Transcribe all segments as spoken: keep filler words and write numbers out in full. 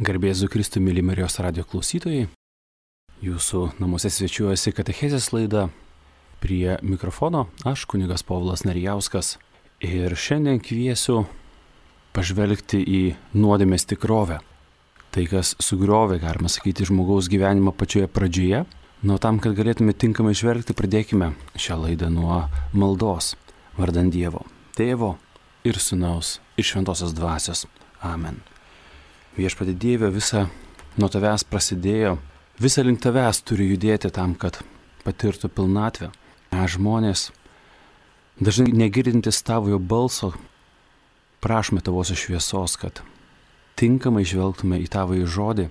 Garbėzu Kristui, myli Marijos radijo klausytojai. Jūsų namuose svečiuojasi katechezės laida. Prie mikrofono aš, kunigas Povilas Narijauskas. Ir šiandien kviesiu pažvelgti į nuodėmės tikrovę. Tai, kas sugriovė, galima sakyti, žmogaus gyvenimą pačioje pradžioje. Nuo tam, kad galėtume tinkamai žvelgti, pradėkime šią laidą nuo maldos vardant Dievo, Tėvo ir Sūnaus ir Šventosios Dvasios. Amen. Viešpatie Dieve, visa nuo tavęs prasidėjo, visa link tavęs turi judėti tam, kad patirtų pilnatvę. Mes žmonės, dažnai negirdintis tavojo balso, prašome tavosios šviesos, kad tinkamai žvelgtume į tavąjį žodį,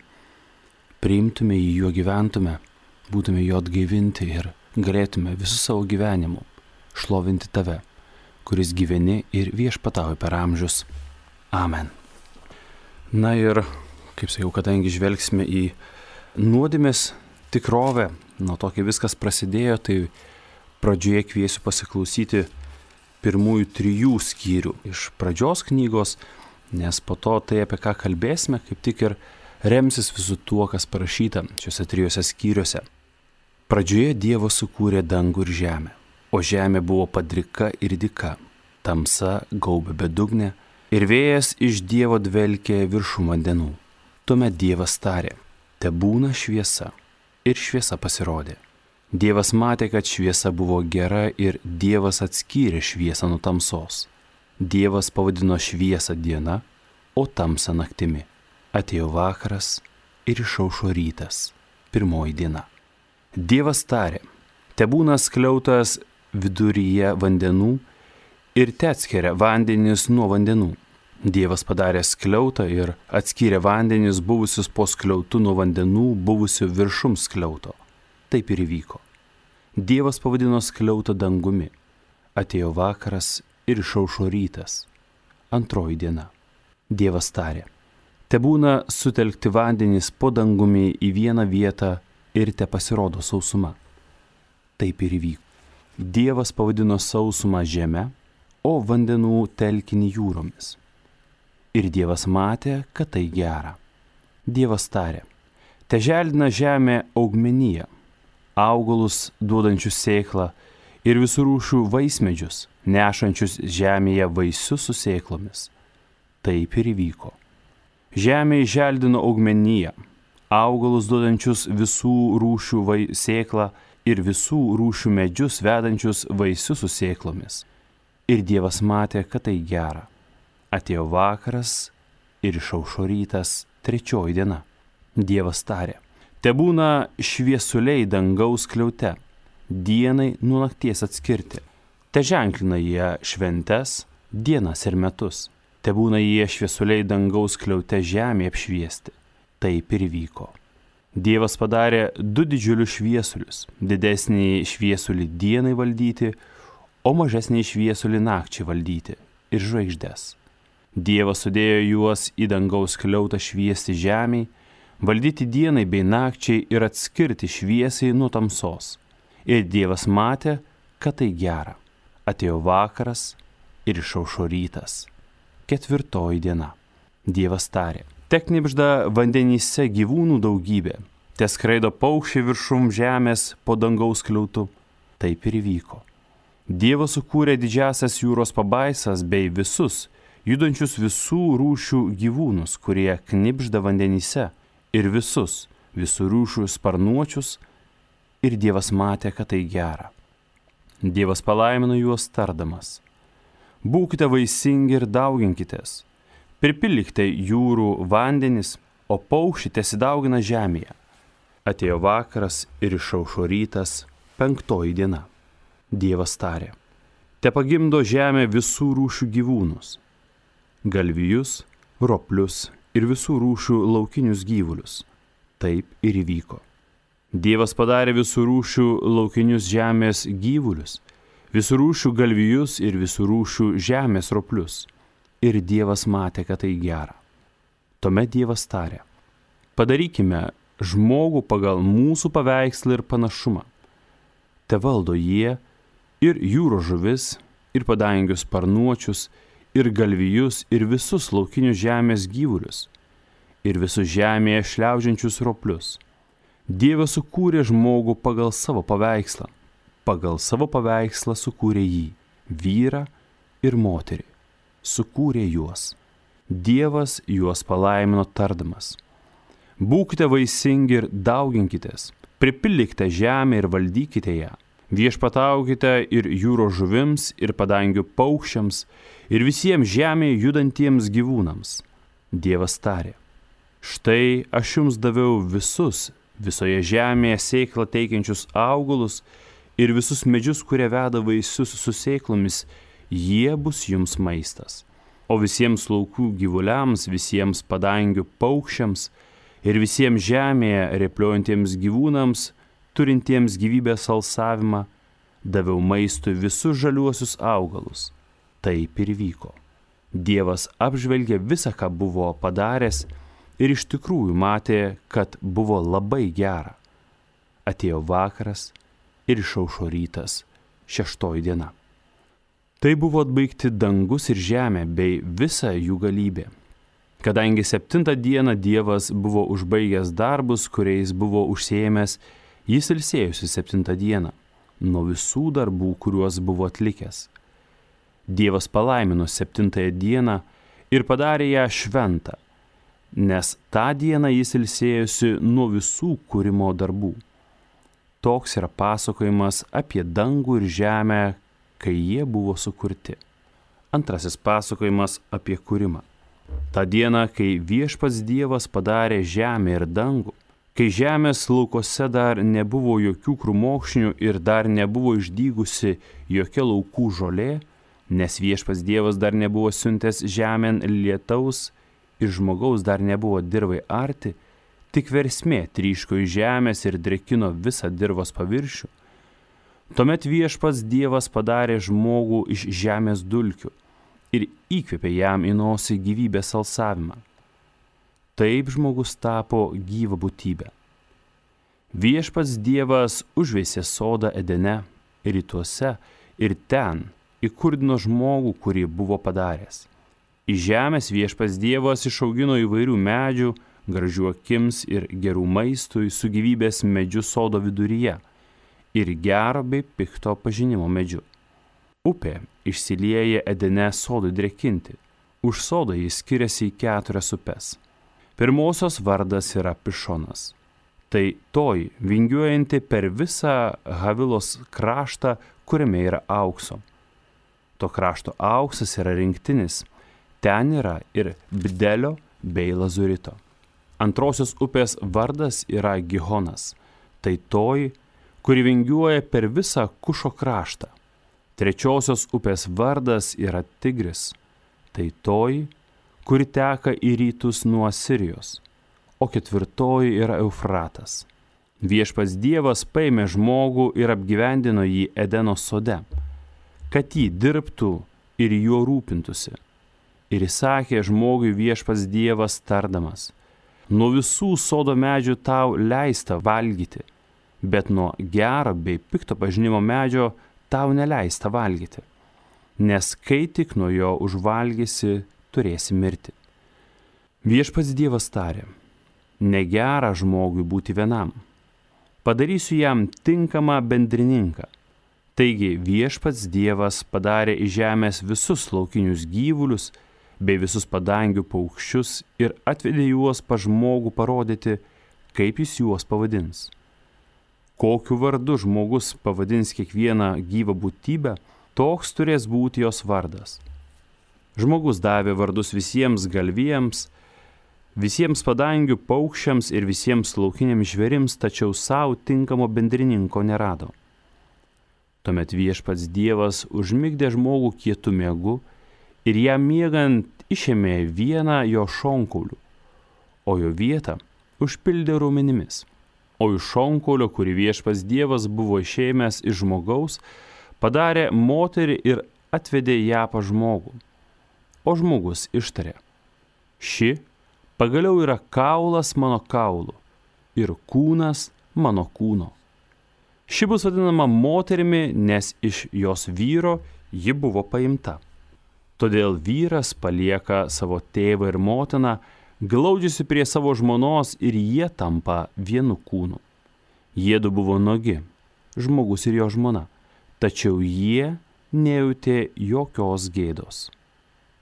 priimtume jį, juo gyventume, būtume jo atgaivinti ir galėtume visų savo gyvenimu šlovinti tave, kuris gyveni ir viešpatauji per amžius. Amen. Na ir, kaip sakiau, kadangi žvelgsime į nuodėmės tikrovę, nuo to, kai viskas prasidėjo, tai pradžioje kviesiu pasiklausyti pirmųjų trijų skyrių iš pradžios knygos, nes po to tai, apie ką kalbėsime, kaip tik ir remsis visų tuo, kas parašyta šiuose trijose skyriuose. Pradžioje Dievas sukūrė dangų ir žemę, o žemė buvo padrika ir dyka, tamsa gaubė bedugnę, ir vėjas iš Dievo dvelkė viršum vandenų. Tuomet Dievas tarė, tebūna šviesa, ir šviesa pasirodė. Dievas matė, kad šviesa buvo gera ir Dievas atskyrė šviesą nuo tamsos. Dievas pavadino šviesą diena, o tamsą naktimi. Atėjo vakaras ir išaušo rytas, pirmoji diena. Dievas tarė, tebūna skliautas viduryje vandenų, ir te atskiria vandenis nuo vandenų. Dievas padarė skliautą ir atskyrė vandenis buvusius po skliautu nuo vandenų buvusių viršum skliauto. Taip ir įvyko. Dievas pavadino skliautą dangumi. Atėjo vakaras ir išaušo rytas. Antroji diena. Dievas tarė, tebūna sutelkti vandenis po dangumi į vieną vietą ir te pasirodo sausuma. Taip ir įvyko. Dievas pavadino sausumą žeme, o vandenų telkinį jūromis. Ir Dievas matė, kad tai gera. Dievas tarė, te želdina žemė augmeniją, augalus duodančius sėklą ir visų rūšių vaismedžius, nešančius žemėje vaisius su sėklomis. Taip ir įvyko. Žemė želdino augmeniją, augalus duodančius visų rūšių vai... sėklą ir visų rūšių medžius vedančius vaisius su sėklomis. Ir Dievas matė, kad tai gera. Atėjo vakaras ir išaušo rytas, trečioji diena. Dievas tarė, tebūna šviesuliai dangaus skliaute, dienai nuo nakties atskirti. Te ženklina jie šventes, dienas ir metus. Tebūna jie šviesuliai dangaus skliaute žemė apšviesti. Taip ir vyko. Dievas padarė du didžiulius šviesulius, didesnį šviesulį dienai valdyti, o mažesnį šviesulį nakčiai valdyti ir žvaigždes. Dievas sudėjo juos į dangaus skliautą šviesti žemei, valdyti dienai bei nakčiai ir atskirti šviesiai nuo tamsos. Ir Dievas matė, kad tai gera. Atėjo vakaras ir išaušo rytas. Ketvirtoji diena. Dievas tarė, te knibžda vandenyse gyvūnų daugybė, te skraido paukščiai viršum žemės po dangaus skliautu. Taip ir įvyko. Dievas sukūrė didžiasias jūros pabaisas bei visus, judančius visų rūšių gyvūnus, kurie knibžda vandenyse, ir visus, visų rūšių sparnuočius, ir Dievas matė, kad tai gera. Dievas palaimino juos tardamas, būkite vaisingi ir dauginkitės, pripildykite jūrų vandenis, o paukščiai tesidaugina žemėje. Atėjo vakaras ir išaušo rytas, penktoji diena. Dievas tarė, te pagimdo žemė visų rūšių gyvūnus, galvijus, roplius ir visų rūšių laukinius gyvulius. Taip ir įvyko. Dievas padarė visų rūšių laukinius žemės gyvulius, visų rūšių galvijus ir visų rūšių žemės roplius. Ir Dievas matė, kad tai gera. Tuomet Dievas tarė, padarykime žmogų pagal mūsų paveikslą ir panašumą. Te valdo jie ir jūros žuvis, ir padangių sparnuočius, ir galvijus, ir visus laukinius žemės gyvulius, ir visus žemėje šliaužiančius roplius. Dievas sukūrė žmogų pagal savo paveikslą. Pagal savo paveikslą sukūrė jį, vyrą ir moterį. Sukūrė juos. Dievas juos palaimino tardamas: būkite vaisingi ir dauginkitės, pripildykite žemę ir valdykite ją. Viešpataukite ir jūros žuvims, ir padangių paukščiams, ir visiems žemėje judantiems gyvūnams. Dievas tarė: štai aš jums daviau visus visoje žemėje sėklą teikiančius augalus ir visus medžius, kurie veda vaisius su sėklomis, jie bus jums maistas. O visiems laukų gyvuliams, visiems padangių paukščiams ir visiems žemėje repliuojantiems gyvūnams, turintiems gyvybės alsavimą, daviau maistui visus žaliuosius augalus. Taip ir vyko. Dievas apžvelgė visą, ką buvo padaręs, ir iš tikrųjų matė, kad buvo labai gera. Atėjo vakaras ir išaušo rytas, šeštoji diena. Tai buvo atbaigti dangus ir žemė bei visa jų galybė. Kadangi septintą dieną Dievas buvo užbaigęs darbus, kuriais buvo užsiėmęs, jis ilsėjosi septintą dieną nuo visų darbų, kuriuos buvo atlikęs. Dievas palaimino septintąją dieną ir padarė ją šventą, nes tą dieną jis ilsėjosi nuo visų kūrimo darbų. Toks yra pasakojimas apie dangų ir žemę, kai jie buvo sukurti. Antrasis pasakojimas apie kūrimą. Ta diena, kai viešpats Dievas padarė žemę ir dangų, kai žemės laukose dar nebuvo jokių krūmokšnių ir dar nebuvo išdygusi jokia laukų žolė, nes viešpats Dievas dar nebuvo siuntęs žemėn lietaus ir žmogaus dar nebuvo dirvai arti, tik versmė tryško iš žemės ir drėkino visą dirvos paviršių. Tuomet viešpats Dievas padarė žmogų iš žemės dulkių ir įkvėpė jam į nosį gyvybės alsavimą. Taip žmogus tapo gyva būtybė. Viešpats Dievas užveisė sodą Edene rytuose ir ten įkurdino žmogų, kurį buvo padaręs. Iš žemės viešpats Dievas išaugino įvairių medžių, gražių akims ir gerų maistui su gyvybės medžiu sodo viduryje ir gero bei pikto pažinimo medžiu. Upė išsilieja Edene sodui drėkinti. Už sodą jis skiriasi į keturias upes. Pirmosios vardas yra Pišonas. Tai toji vingiuojanti per visą Havilos kraštą, kuriame yra aukso. To krašto auksas yra rinktinis. Ten yra ir bdelio bei lazurito. Antrosios upės vardas yra Gihonas. Tai toji, kuri vingiuoja per visą Kušo kraštą. Trečiosios upės vardas yra Tigris. Tai toji, kuri teka į rytus nuo Sirijos. O ketvirtoji yra Eufratas. Viešpats Dievas paėmė žmogų ir apgyvendino jį Edeno sode, kad jį dirbtų ir juo rūpintųsi. Ir įsakė žmogui viešpats Dievas tardamas: nuo visų sodo medžių tau leista valgyti, bet nuo gero bei pikto pažinimo medžio tau neleista valgyti, nes kai tik nuo jo užvalgysi, turėsi mirti. Viešpats Dievas tarė: negera žmogui būti vienam, padarysiu jam tinkamą bendrininką. Taigi viešpats Dievas padarė iš žemės visus laukinius gyvulius bei visus padangių paukščius ir atvedė juos pas žmogų parodyti, kaip jis juos pavadins. Kokiu vardu žmogus pavadins kiekvieną gyvą būtybę, toks turės būti jos vardas. Žmogus davė vardus visiems galvijams, visiems padangių paukščiams ir visiems laukiniams žvėrims, tačiau savo tinkamo bendrininko nerado. Tuomet viešpats Dievas užmigdė žmogų kietu miegu ir jam miegant išėmė vieną jo šonkaulių, o jo vietą užpildė raumenimis. O iš šonkaulio, kurį viešpats Dievas buvo išėmęs iš žmogaus, padarė moterį ir atvedė ją pas žmogų. O žmogus ištarė: ši pagaliau yra kaulas mano kaulų ir kūnas mano kūno. Ši bus vadinama moterimi, nes iš jos vyro ji buvo paimta. Todėl vyras palieka savo tėvą ir motiną, glaudžiasi prie savo žmonos ir jie tampa vienu kūnu. Jiedu buvo nuogi, žmogus ir jo žmona, tačiau jie nejautė jokios gėdos.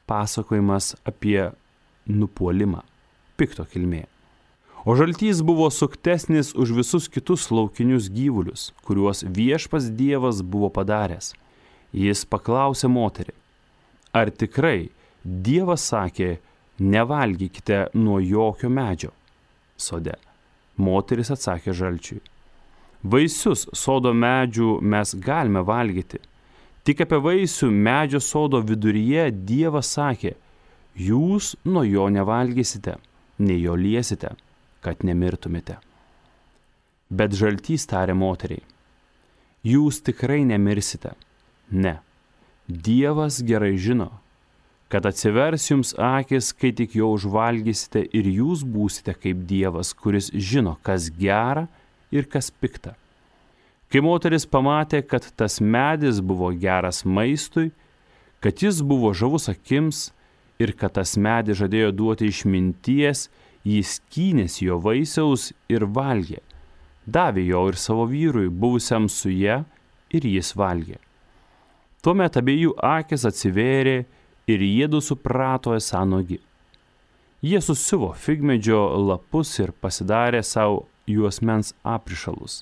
Pasakojimas apie nupuolimą, pikto kilmė. O žaltys buvo suktesnis už visus kitus laukinius gyvulius, kuriuos viešpats Dievas buvo padaręs. Jis paklausė moterį, ar tikrai Dievas sakė, nevalgykite nuo jokio medžio sode. Moteris atsakė žalčiui, vaisius sodo medžių mes galime valgyti, tik apie vaisių medžio sodo viduryje Dievas sakė, jūs nuo jo nevalgysite, nei jo liesite, kad nemirtumėte. Bet žaltys tarė moteriai, jūs tikrai nemirsite. Ne, Dievas gerai žino, kad atsivers jums akis, kai tik jo užvalgysite ir jūs būsite kaip Dievas, kuris žino, kas gera ir kas pikta. Kai moteris pamatė, kad tas medis buvo geras maistui, kad jis buvo žavus akims ir kad tas medis žadėjo duoti išminties, jis skynėsi jo vaisiaus ir valgė. Davė jo ir savo vyrui, buvusiam su ja, ir jis valgė. Tuomet abiejų akis atsivėrė ir jiedu suprato esą nuogi. Jie susiuvo figmedžio lapus ir pasidarė savo juosmens aprišalus.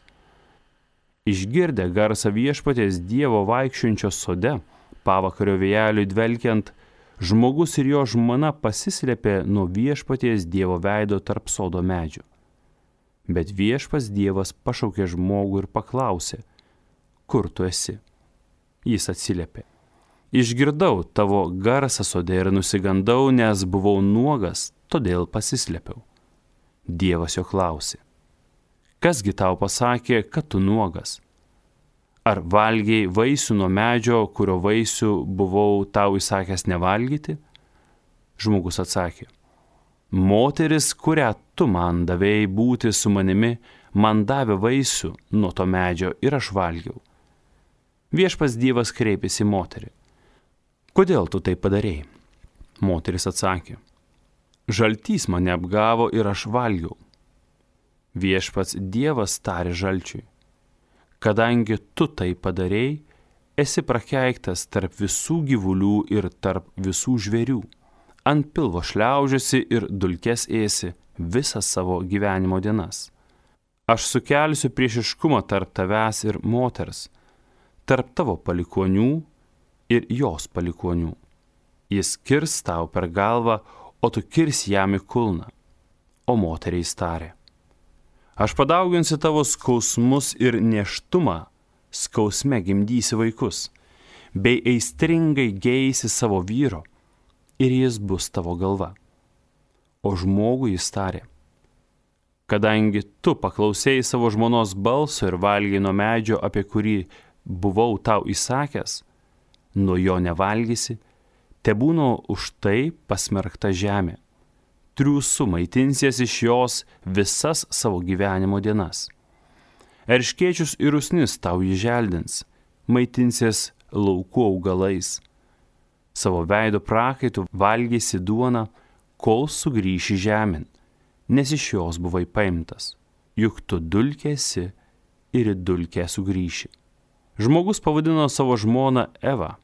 Išgirdę garsą viešpaties Dievo vaikščiojančio sode, pavakario vėjeliui dvelkiant, žmogus ir jo žmona pasislėpė nuo viešpaties Dievo veido tarp sodo medžių. Bet viešpas Dievas pašaukė žmogų ir paklausė, kur tu esi? Jis atsiliepė, išgirdau tavo garsą sode ir nusigandau, nes buvau nuogas, todėl pasislėpiau. Dievas jo klausė, kasgi tau pasakė, kad tu nuogas? Ar valgiai vaisių nuo medžio, kurio vaisių buvau tau įsakęs nevalgyti? Žmogus atsakė, moteris, kurią tu man davėjai būti su manimi, man davė vaisių nuo to medžio ir aš valgiau. Viešpas Dievas kreipėsi į moterį. Kodėl tu tai padarėjai? Moteris atsakė, žaltys mane apgavo ir aš valgiau. Viešpats Dievas tarė žalčiui, kadangi tu tai padarėjai, esi prakeiktas tarp visų gyvulių ir tarp visų žvėrių. Ant pilvo šliaužiasi ir dulkes ėsi visas savo gyvenimo dienas. Aš sukelsiu priešiškumą tarp tavęs ir moters, tarp tavo palikuonių ir jos palikuonių. Jis kirs tau per galvą, o tu kirsi jam į kulną. O moteriai tarė, aš padauginsiu tavo skausmus ir nėštumą, skausme gimdysi vaikus, bei aistringai geisi savo vyro, ir jis bus tavo galva. O žmogui jis tarė, kadangi tu paklausėjai savo žmonos balso ir valgiai nuo medžio, apie kurį buvau tau įsakęs, nuo jo nevalgysi, tebūna už tai pasmerkta žemė. Triūsu maitinsies iš jos visas savo gyvenimo dienas. Erškėčius ir usnis tau įželdins, maitinsies laukų augalais. Savo veido prakaitų valgysi duoną, kol sugrįši žemėn, nes iš jos buvai paimtas, juk tu dulkėsi ir į dulkę sugrįši. Žmogus pavadino savo žmoną Evą,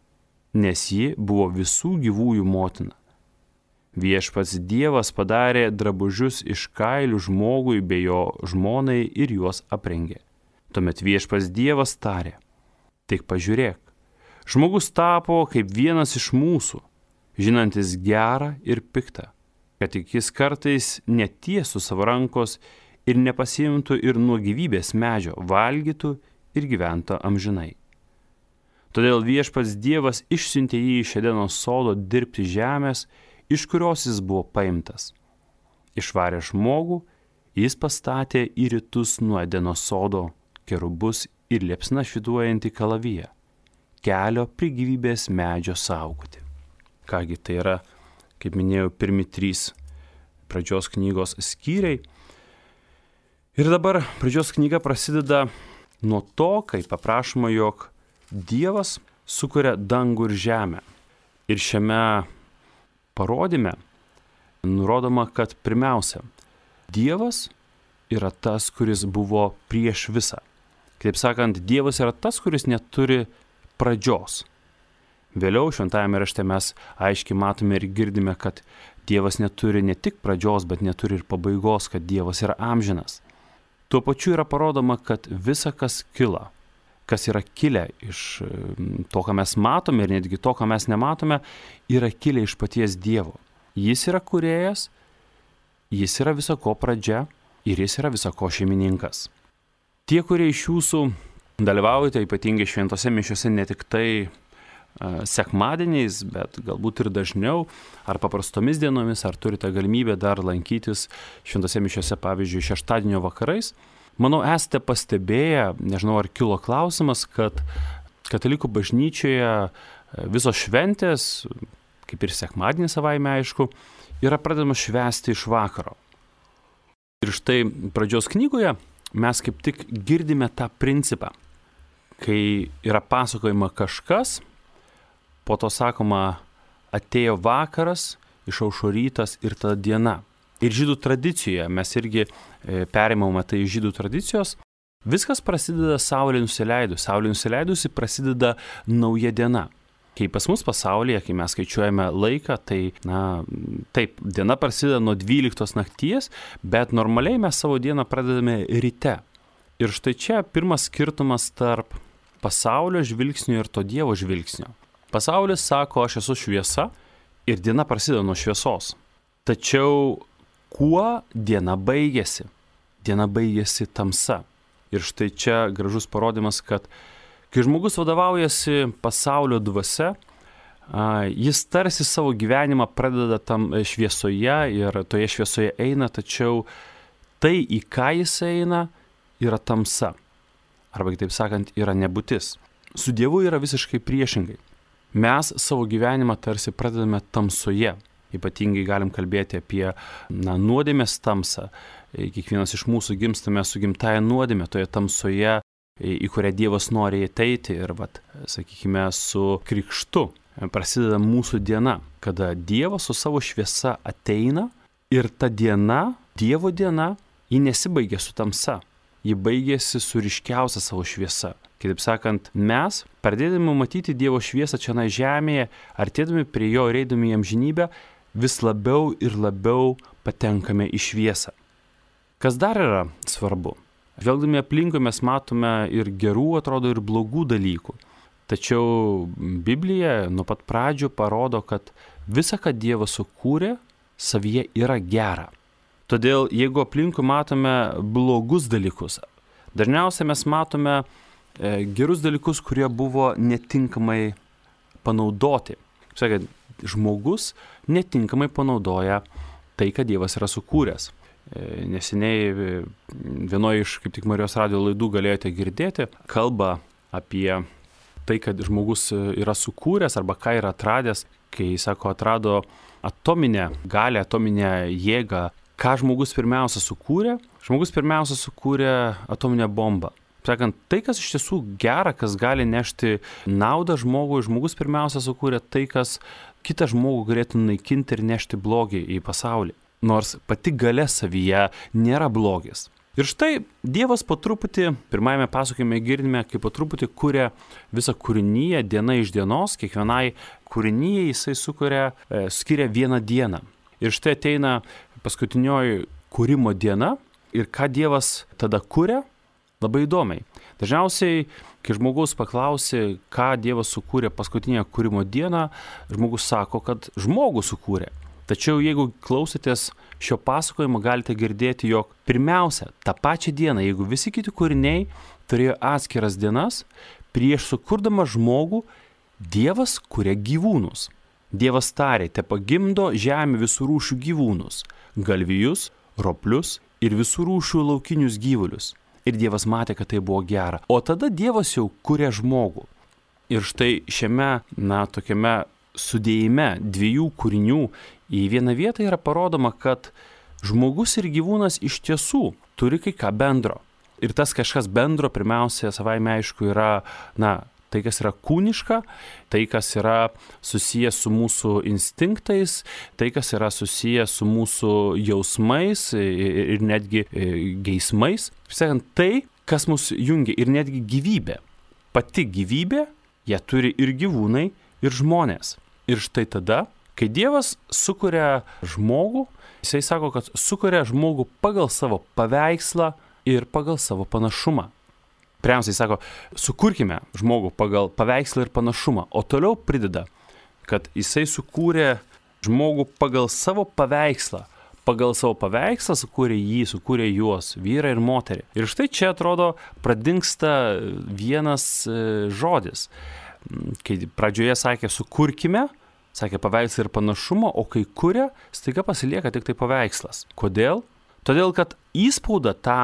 nes ji buvo visų gyvųjų motina. Viešpats Dievas padarė drabužius iš kailių žmogui bei jo žmonai ir juos aprengė. Tuomet viešpats Dievas tarė, tik pažiūrėk, žmogus tapo kaip vienas iš mūsų, žinantis gerą ir piktą, kad tik jis kartais netiesų savo rankos ir nepasiimtų ir nuo gyvybės medžio valgytų ir gyvento amžinai. Todėl viešpats Dievas išsiuntė jį iš Edeno sodo dirbti žemės, iš kurios jis buvo paimtas. Išvarė žmogų, jis pastatė į rytus nuo Edeno sodo kerubus ir liepsna švytuojantį kalaviją, kelio prie gyvybės medžio saugoti. Kągi tai yra, kaip minėjau, pirmi trys pradžios knygos skyriai. Ir dabar pradžios knyga prasideda nuo to, kai paprašoma, jog Dievas sukuria dangų ir žemę. Ir šiame parodyme nurodoma, kad pirmiausia, Dievas yra tas, kuris buvo prieš visą. Kitaip sakant, Dievas yra tas, kuris neturi pradžios. Vėliau šventajame rašte mes aiškiai matome ir girdime, kad Dievas neturi ne tik pradžios, bet neturi ir pabaigos, kad Dievas yra amžinas. Tuo pačiu yra parodoma, kad visa, kas kila, kas yra kilę iš to, ką mes matome ir netgi to, ką mes nematome, yra kilę iš paties Dievo. Jis yra kūrėjas, jis yra visako pradžia ir jis yra visako šeimininkas. Tie, kurie iš jūsų dalyvaujate ypatingai šventose mišiose ne tik tai sekmadieniais, bet galbūt ir dažniau, ar paprastomis dienomis, ar turite galimybę dar lankytis šventose mišiose, pavyzdžiui, šeštadienio vakarais. Manau, esate pastebėję, nežinau, ar kilo klausimas, kad katalikų bažnyčioje visos šventės, kaip ir sekmadienį savaime aišku, yra pradedamas švęsti iš vakaro. Ir štai pradžios knygoje mes kaip tik girdime tą principą, kai yra pasakojama kažkas, po to sakoma, atėjo vakaras, išaušo rytas ir tada diena. Ir žydų tradicijoje, mes irgi perimame tai iš žydų tradicijos, viskas prasideda saulė nusileidus. Saulė nusileidusi prasideda nauja diena. Kai pas mus pasaulyje, kai mes skaičiuojame laiką, tai, na, taip, diena prasideda nuo dvyliktos nakties, bet normaliai mes savo dieną pradedame ryte. Ir štai čia pirmas skirtumas tarp pasaulio žvilgsnio ir to Dievo žvilgsnio. Pasaulis sako, aš esu šviesa ir diena prasideda nuo šviesos. Tačiau kuo diena baigėsi? Diena baigėsi tamsa. Ir štai čia gražus parodymas, kad kai žmogus vadovaujasi pasaulio dvasia, jis tarsi savo gyvenimą pradeda tam šviesoje ir toje šviesoje eina, tačiau tai, į ką jis eina, yra tamsa. Arba kitaip sakant, yra nebūtis. Su Dievu yra visiškai priešingai. Mes savo gyvenimą tarsi pradedame tamsoje. Ypatingai galim kalbėti apie na, nuodėmės tamsą. Kiekvienas iš mūsų gimstame su gimtaja nuodėmė, toje tamsoje, į kurią Dievas nori ateiti. Ir, vat, sakykime, su krikštu prasideda mūsų diena, kada Dievas su savo šviesa ateina ir ta diena, Dievo diena, ji nesibaigia su tamsa. Ji baigėsi su ryškiausia savo šviesa. Kitaip sakant, mes, pradėdami matyti Dievo šviesą čia na žemėje, artėdami prie jo ir eidami į amžinybę, vis labiau ir labiau patenkame į šviesą. Kas dar yra svarbu? Žvelgdami aplinkui mes matome ir gerų, atrodo, ir blogų dalykų. Tačiau Biblija nuo pat pradžių parodo, kad visa, ką Dievas sukūrė, savyje yra gera. Todėl, jeigu aplinkui matome blogus dalykus, dažniausiai mes matome gerus dalykus, kurie buvo netinkamai panaudoti. Sakant, žmogus netinkamai panaudoja tai, ką Dievas yra sukūręs. Neseniai vienoje iš kaip tik Marijos radijo laidų galėjote girdėti kalbą apie tai, kad žmogus yra sukūręs arba ką yra atradęs, kai, sako, atrado atominę galią, atominę jėgą. Ką žmogus pirmiausia sukūrė? Žmogus pirmiausia sukūrė atominę bombą. Sakant, tai, kas iš tiesų gera, kas gali nešti naudą žmogui, žmogus pirmiausia sukūrė tai, kas kitą žmogų galėtų naikinti ir nešti blogį į pasaulį. Nors pati galia savyje nėra blogis. Ir štai Dievas po truputį, pirmajame pasakojime girdime, kaip po truputį kuria visą kūrinyje diena iš dienos, kiekvienai kūrinyje jisai sukuria, e, skiria vieną dieną. Ir štai ateina paskutinioji kūrimo diena ir ką Dievas tada kuria? Labai įdomiai. Dažniausiai, kai žmogus paklausia, ką Dievas sukūrė paskutinę kūrimo dieną, žmogus sako, kad žmogų sukūrė. Tačiau jeigu klausotės šio pasakojimo, galite girdėti, jog pirmiausia, tą pačią dieną, jeigu visi kiti kūriniai turėjo atskiras dienas, prieš sukurdama žmogų, Dievas kuria gyvūnus. Dievas tarė, te pagimdo žemė visų rūšių gyvūnus, galvijus, roplius ir visų rūšių laukinius gyvulius. Ir Dievas matė, kad tai buvo gera. O tada Dievas jau kuria žmogų. Ir štai šiame, na, tokiame sudėjime dviejų kūrinių į vieną vietą yra parodoma, kad žmogus ir gyvūnas iš tiesų turi kai ką bendro. Ir tas kažkas bendro, pirmiausia, savaime aišku, yra, na, tai, kas yra kūniška, tai, kas yra susijęs su mūsų instinktais, tai, kas yra susijęs su mūsų jausmais ir netgi geismais. Sakant, tai, kas mus jungia ir netgi gyvybė. Pati gyvybė, ją turi ir gyvūnai, ir žmonės. Ir štai tada, kai Dievas sukuria žmogų, jisai sako, kad sukuria žmogų pagal savo paveikslą ir pagal savo panašumą. Pirmiausiai sako, sukurkime žmogų pagal paveikslą ir panašumą, o toliau prideda, kad jisai sukūrė žmogų pagal savo paveikslą. Pagal savo paveikslą sukūrė jį, sukūrė juos, vyrą ir moterį. Ir štai čia atrodo pradingsta vienas žodis. Kai pradžioje sakė sukurkime, sakė paveikslą ir panašumą, o kai kuria, staiga pasilieka tik tai paveikslas. Kodėl? Todėl, kad įspaudą tą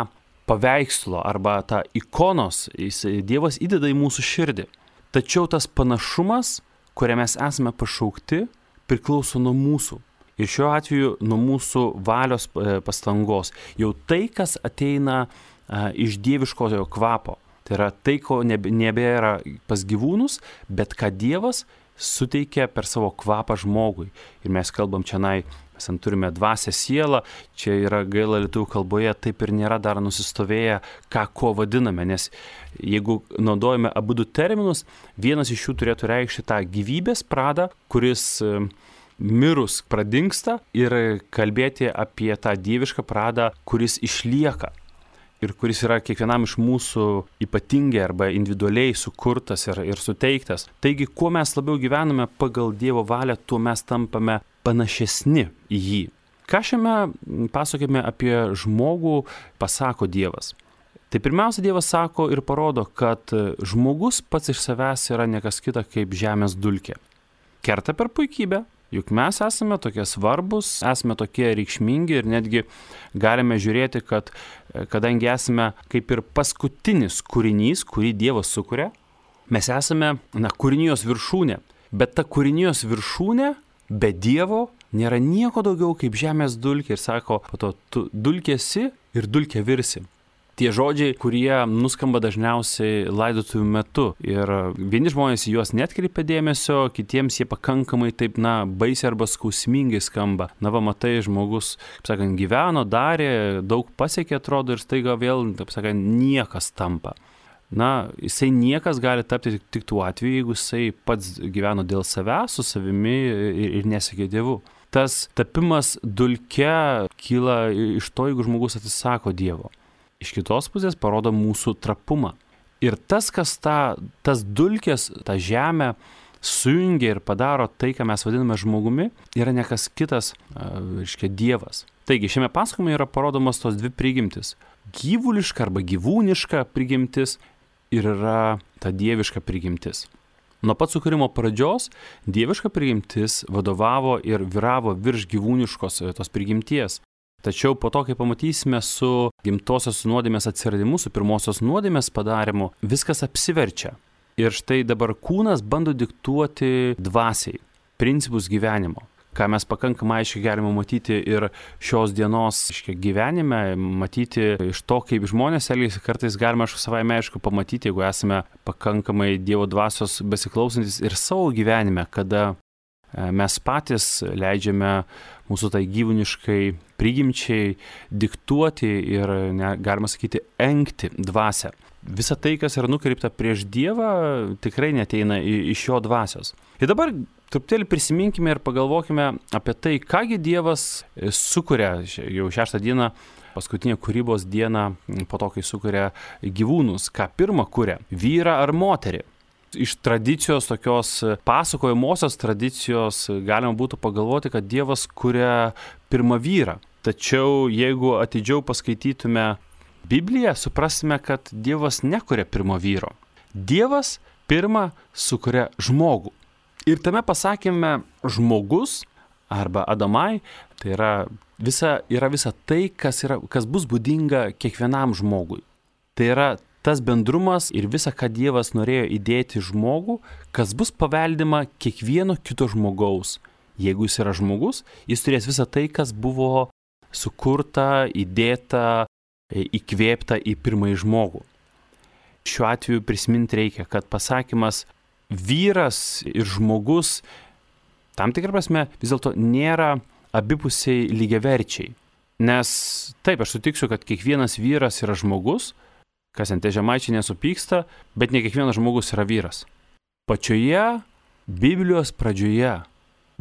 paveikslo arba tą ikonos jis, Dievas įdeda į mūsų širdį. Tačiau tas panašumas, kurią mes esame pašaukti, priklauso nuo mūsų. Ir šiuo atveju nuo mūsų valios pastangos. Jau tai, kas ateina a, iš dieviškojo kvapo. Tai yra tai, ko nebėra pas gyvūnus, bet ką Dievas suteikia per savo kvapą žmogui. Ir mes kalbam čianai, mes turime dvasią sielą, čia yra gaila lietuvių kalboje, taip ir nėra dar nusistovėję, ką ko vadiname, nes jeigu naudojame abu du terminus, vienas iš jų turėtų reikšti tą gyvybės pradą, kuris mirus pradingsta, ir kalbėti apie tą dievišką pradą, kuris išlieka. Ir kuris yra kiekvienam iš mūsų ypatingai arba individualiai sukurtas ir, ir suteiktas. Taigi, kuo mes labiau gyvename pagal Dievo valią, tuo mes tampame panašesni į jį. Ką šiame pasakojime apie žmogų pasako Dievas? Tai pirmiausia, Dievas sako ir parodo, kad žmogus pats iš savęs yra nekas kita kaip žemės dulkė. Kerta per puikybę. Juk mes esame tokie svarbus, esame tokie reikšmingi ir netgi galime žiūrėti, kad kadangi esame kaip ir paskutinis kūrinys, kurį Dievas sukuria, mes esame, na, kūrinijos viršūnė. Bet ta kūrinijos viršūnė be Dievo nėra nieko daugiau kaip žemės dulkė. Ir sako, po to tu dulkėsi ir dulkė virsi. Tie žodžiai, kurie nuskamba dažniausiai laidotuvių metu. Ir vieni žmonės į juos netkreipia dėmesio, kitiems jie pakankamai taip, na, baisiai arba skausmingai skamba. Na, va, matai, žmogus, kaip sakant, gyveno, darė, daug pasiekė, atrodo, ir staiga vėl, taip sakant, niekas tampa. Na, jisai niekas gali tapti tik, tik tuo atveju, jeigu jisai pats gyveno dėl savęs, su savimi ir, ir nesiekė Dievu. Tas tapimas dulke kyla iš to, jeigu žmogus atsisako Dievo. Iš kitos pusės parodo mūsų trapumą. Ir tas, kas ta, tas dulkės, tą žemę sujungia ir padaro tai, ką mes vadiname žmogumi, yra nekas kitas, reiškia, Dievas. Taigi, šiame pasakojime yra parodomos tos dvi prigimtis. Gyvuliška arba gyvūniška prigimtis ir yra ta dieviška prigimtis. Nuo pat sukūrimo pradžios dieviška prigimtis vadovavo ir vyravo virš gyvūniškos tos prigimties. Tačiau po to, kai pamatysime su gimtosios nuodėmės atsiradimu, su pirmosios nuodėmės padarimu, viskas apsiverčia. Ir štai dabar kūnas bando diktuoti dvasiai, principus gyvenimo, ką mes pakankamai aiškiai galime matyti ir šios dienos gyvenime, matyti iš to, kaip žmonės elgiasi, kartais galime aišku savaime aišku pamatyti, jeigu esame pakankamai Dievo dvasios besiklausantis ir savo gyvenime, kada mes patys leidžiame mūsų tai gyvūniškai prigimčiai diktuoti ir, ne, galima sakyti, engti dvasią. Visa tai, kas yra nukreipta prieš Dievą, tikrai neteina iš jo dvasios. Ir dabar truputėlį prisiminkime ir pagalvokime apie tai, kągi Dievas sukuria jau šeštą dieną, paskutinę kūrybos dieną, po to, kai sukuria gyvūnus. Ką pirmą kuria? Vyrą ar moterį? Iš tradicijos, tokios pasakojamosios tradicijos, galima būtų pagalvoti, kad Dievas kuria pirmą vyrą. Tačiau jeigu atidžiau paskaitytume Bibliją, suprasime, kad Dievas nekuria pirmo vyro. Dievas pirmą sukuria žmogų. Ir tame pasakyme žmogus arba Adamai, tai yra visa, yra visa tai, kas, yra, kas bus būdinga kiekvienam žmogui. Tai yra tas bendrumas ir visa, ką Dievas norėjo įdėti žmogų, kas bus paveldima kiekvieno kito žmogaus. Jeigu jis yra žmogus, jis turės visą tai, kas buvo sukurta, įdėta, įkvėpta į pirmąjį žmogų. šiuo atveju prisiminti reikia, kad pasakymas vyras ir žmogus tam tikrą prasme vis dėlto nėra abipusiai lygiaverčiai. Nes taip, aš sutiksiu, kad kiekvienas vyras yra žmogus, kas ant tie žemaičiai nesupyksta, bet ne kiekvienas žmogus yra vyras. Pačioje Biblijos pradžioje,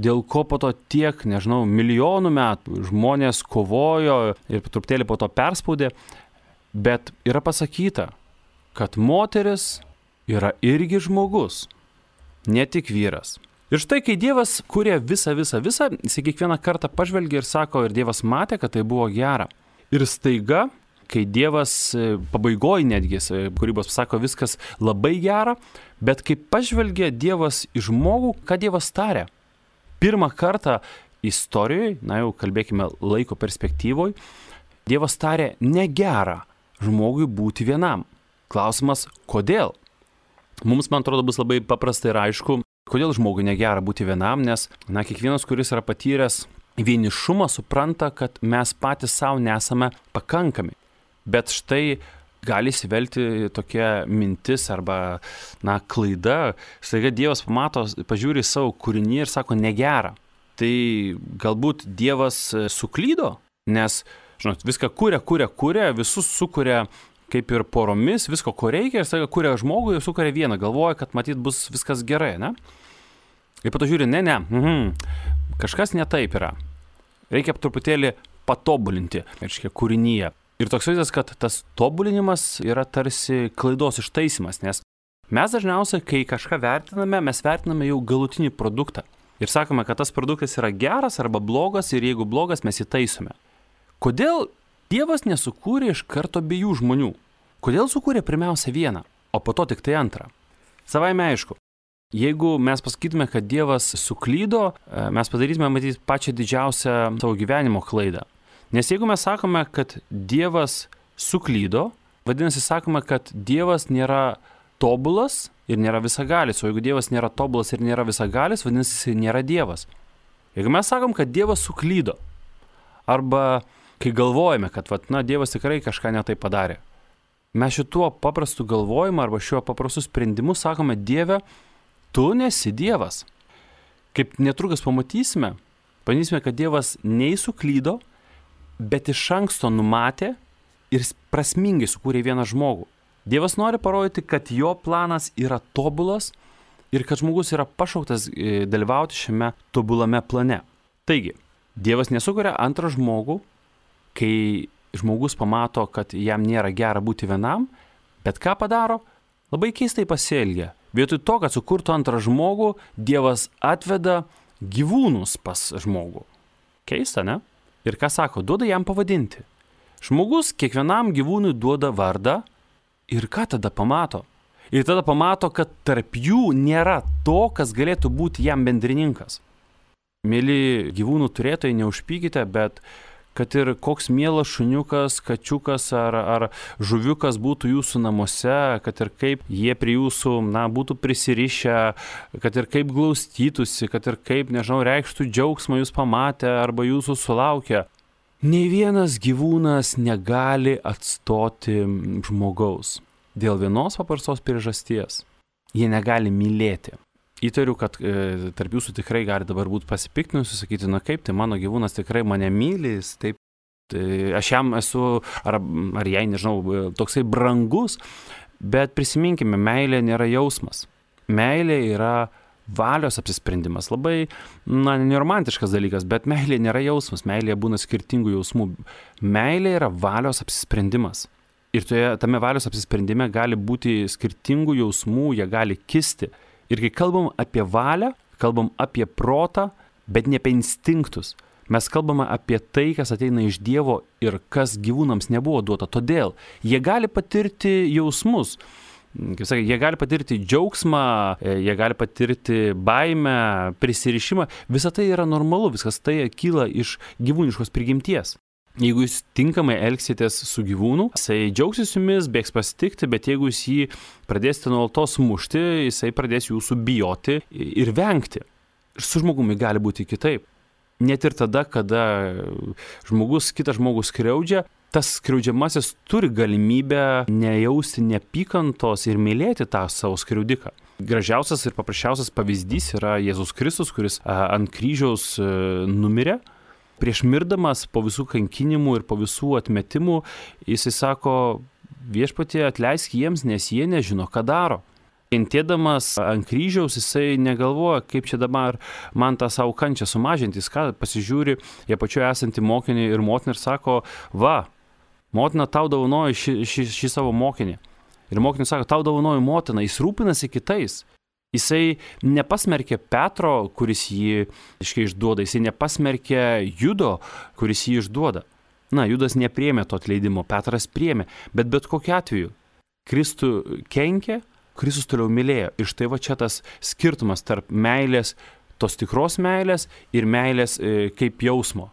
dėl ko po to tiek, nežinau, milijonų metų žmonės kovojo ir truputėlį po to perspaudė, bet yra pasakyta, kad moteris yra irgi žmogus, ne tik vyras. Ir štai, kai Dievas kūrė visą, visą, visą, jis kiekvieną kartą pažvelgia ir sako, ir Dievas matė, kad tai buvo gera. Ir staiga, kai Dievas pabaigoje netgi, kūrybos sako, viskas labai gera, bet kai pažvelgia Dievas į žmogų, ką Dievas tarė? Pirmą kartą istorijoje, na jau kalbėkime laiko perspektyvoje, Dievas tarė negera žmogui būti vienam. Klausimas, kodėl? Mums, man atrodo, bus labai paprasta ir aišku, kodėl žmogui negera būti vienam, nes, na, kiekvienas, kuris yra patyręs vienišumą, supranta, kad mes patys savo nesame pakankami. Bet štai gali įsivelti tokia mintis arba, na, klaida. Staiga Dievas pamato, pažiūri savo kūrinį ir sako negera. Tai galbūt Dievas suklydo, nes, žinot, viską kuria, kuria, kuria, visus sukuria kaip ir poromis, visko, ko reikia, ir staiga kuria žmogų ir sukuria vieną, galvoja, kad matyt bus viskas gerai, ne? Ir po to žiūri, ne, ne, mhm, kažkas ne taip yra. Reikia truputėlį patobulinti, reiškia, kūrinyje. Ir toks vaizdas, kad tas tobulinimas yra tarsi klaidos ištaisimas, nes mes dažniausiai, kai kažką vertiname, mes vertiname jau galutinį produktą. Ir sakome, kad tas produktas yra geras arba blogas, ir jeigu blogas, mes jį taisome. Kodėl Dievas nesukūrė iš karto abiejų žmonių? Kodėl sukūrė pirmiausia vieną, o po to tik tai antrą? Savaime aišku, jeigu mes pasakytume, kad Dievas suklydo, mes padarytume, matyti, pačią didžiausią savo gyvenimo klaidą. Nes jeigu mes sakome, kad Dievas suklydo, vadinasi, sakome, kad Dievas nėra tobulas ir nėra visagalis, o jeigu Dievas nėra tobulas ir nėra visagalis, vadinasi, jis nėra Dievas. Jeigu mes sakom, kad Dievas suklydo, arba kai galvojame, kad, vat, na, Dievas tikrai kažką ne tai padarė, mes šituo paprastu galvojimu arba šiuo paprastu sprendimu sakome, Dieve, tu nesi Dievas. Kaip netrukus pamatysime, pamatysime, kad Dievas nei suklydo, bet iš anksto numatė ir prasmingai sukūrė vieną žmogų. Dievas nori parodyti, kad jo planas yra tobulas ir kad žmogus yra pašauktas dalyvauti šiame tobulame plane. Taigi, Dievas nesukuria antrą žmogų, kai žmogus pamato, kad jam nėra gera būti vienam, bet ką padaro? Labai keistai pasielgia. Vietoj to, kad sukurtų antrą žmogų, Dievas atveda gyvūnus pas žmogų. Keista, ne? Ir ką sako? Duoda jam pavadinti. Žmogus kiekvienam gyvūnui duoda vardą ir ką tada pamato? Ir tada pamato, kad tarp jų nėra to, kas galėtų būti jam bendrininkas. Mėly gyvūnų turėtojai, neužpykite, bet kad ir koks mielas šuniukas, kačiukas ar, ar žuviukas būtų jūsų namuose, kad ir kaip jie prie jūsų, na, būtų prisirišę, kad ir kaip glaustytųsi, kad ir kaip, nežinau, reikštų džiaugsmą jūs pamatę arba jūsų sulaukę. Nei vienas gyvūnas negali atstoti žmogaus dėl vienos paprastos priežasties. Jie negali mylėti. Įtariu, kad e, tarp jūsų tikrai gali dabar būti pasipiktinusi, sakyti, na kaip, tai mano gyvūnas tikrai mane myli, taip, tai aš jam esu, ar, ar jai, nežinau, toksai brangus, bet prisiminkime, meilė nėra jausmas. Meilė yra valios apsisprendimas. Labai, na, neromantiškas dalykas, bet meilė nėra jausmas, meilėje būna skirtingų jausmų. Meilė yra valios apsisprendimas. Ir toje, tame valios apsisprendime gali būti skirtingų jausmų, jie gali kisti. Ir kai kalbam apie valią, kalbam apie protą, bet ne apie instinktus. Mes kalbame apie tai, kas ateina iš Dievo ir kas gyvūnams nebuvo duota. Todėl jie gali patirti jausmus. Kaip sakai, jie gali patirti džiaugsmą, jie gali patirti baimę, prisirišimą. Visa tai yra normalu, viskas tai kyla iš gyvūniškos prigimties. Jeigu jūs tinkamai elgsitės su gyvūnu, jisai džiaugsis jumis, bėgs pasitikti, bet jeigu jūs jį pradėsite nuolatos mušti, jisai pradės jūsų bijoti ir vengti. Su žmogumi gali būti kitaip. Net ir tada, kada žmogus, kitas žmogus skriaudžia, tas skriaudžiamasis turi galimybę nejausti neapykantos ir mylėti tą savo skriaudiką. Gražiausias ir paprasčiausias pavyzdys yra Jėzus Kristus, kuris ant kryžiaus numirė. Prieš mirdamas po visų kankinimų ir po visų atmetimų, jisai sako, viešpatie atleisk jiems, nes jie nežino, ką daro. Kentėdamas ant kryžiaus, jisai negalvoja, kaip čia dabar man tą savo kančią sumažinti. Jis ką, pasižiūri, jie pačioje esantį mokinį ir motiną ir sako, va, motina tau dovanoja šį, šį, šį savo mokinį. Ir mokinis sako, tau dovanoja motina, jis rūpinasi kitais. Jisai nepasmerkė Petro, kuris jį išduoda, jisai nepasmerkė Judo, kuris jį išduoda. Na, Judas nepriėmė to atleidimo, Petras priėmė, bet bet kokiu atveju Kristų kenkė, Kristus toliau mylėjo. Ir štai va čia tas skirtumas tarp meilės, tos tikros meilės ir meilės e, kaip jausmo.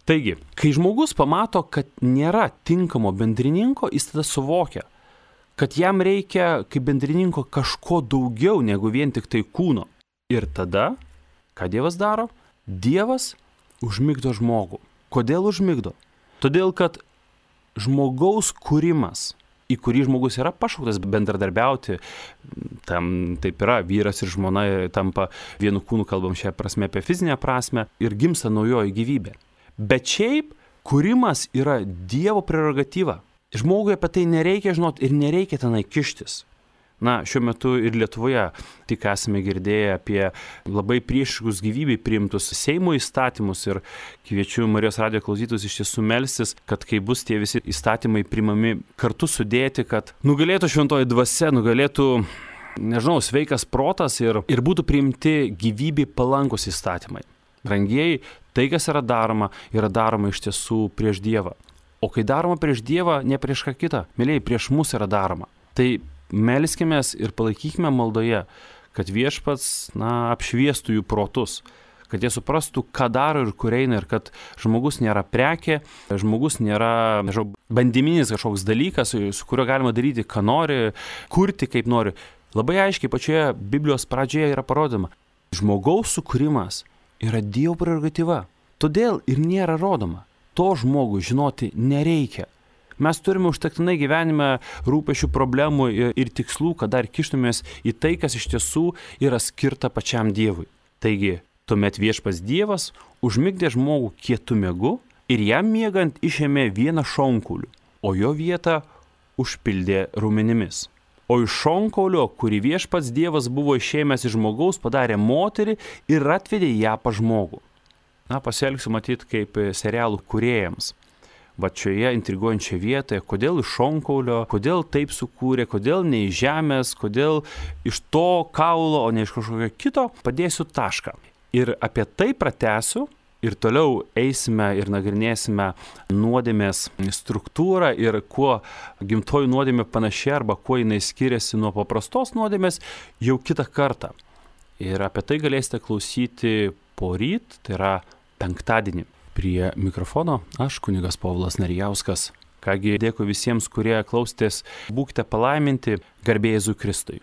Taigi, kai žmogus pamato, kad nėra tinkamo bendrininko, jis tada suvokia, kad jam reikia kaip bendrininko kažko daugiau negu vien tik tai kūno. Ir tada, ką Dievas daro? Dievas užmigdo žmogų. Kodėl užmigdo? Todėl, kad žmogaus kūrimas, į kurį žmogus yra pašauktas bendradarbiauti, tam taip yra, vyras ir žmona tampa vienu kūnu, kalbam šią prasme apie fizinę prasme, ir gimsta naujoji gyvybė. Bet šiaip kūrimas yra Dievo prerogatyva. Žmogui apie tai nereikia žinoti ir nereikia tenai kištis. Na, šiuo metu ir Lietuvoje tik esame girdėję apie labai priešiškus gyvybei priimtus Seimo įstatymus ir kviečiu Marijos radijo klausytojus iš tiesų melstis, kad kai bus tie visi įstatymai priimami kartu sudėti, kad nugalėtų šventoji dvasia, nugalėtų, nežinau, sveikas protas ir, ir būtų priimti gyvybei palankus įstatymai. Brangieji, tai, kas yra daroma, yra daroma iš tiesų prieš Dievą. O kai daroma prieš Dievą, ne prieš ką kitą, mėlyjei, prieš mus yra daroma. Tai melskimės ir palaikykime maldoje, kad viešpats, na, apšviestų jų protus, kad jie suprastų, ką daro ir kur eina, ir kad žmogus nėra prekė, žmogus nėra, nežinau, bandiminis kažkoks dalykas, su kuriuo galima daryti, ką nori, kurti kaip nori. Labai aiškiai pačioje Biblijos pradžioje yra parodoma, žmogaus sukūrimas yra Dievo prerogatyva, todėl ir nėra rodoma. To žmogui žinoti nereikia. Mes turime užtektinai gyvenime rūpešių problemų ir tikslų, kad dar kištumės į tai, kas iš tiesų yra skirta pačiam Dievui. Taigi, tuomet viešpats Dievas užmigdė žmogų kietu miegu ir jam miegant išėmė vieną šonkaulių, o jo vietą užpildė raumenimis. O iš šonkaulio, kurį viešpats Dievas buvo išėmęs iš žmogaus, padarė moterį ir atvedė ją pas žmogų. Na, pasielgsiu matyti kaip serialų kūrėjams. Va šioje intriguojančioje vietoje, kodėl iš šonkaulio, kodėl taip sukūrė, kodėl ne iš žemės, kodėl iš to kaulo, o ne iš kažkokio kito, padėsiu tašką. Ir apie tai pratęsiu ir toliau eisime ir nagrinėsime nuodėmės struktūrą ir kuo gimtoji nuodėmė panaši arba kuo jinai skiriasi nuo paprastos nuodėmės jau kitą kartą. Ir apie tai galėsite klausyti poryt, tai yra penktadienį. Prie mikrofono aš kunigas Povilas Narijauskas. Kągi, dėkui visiems, kurie klausėtės, būkite palaiminti, garbė Jėzui Kristui.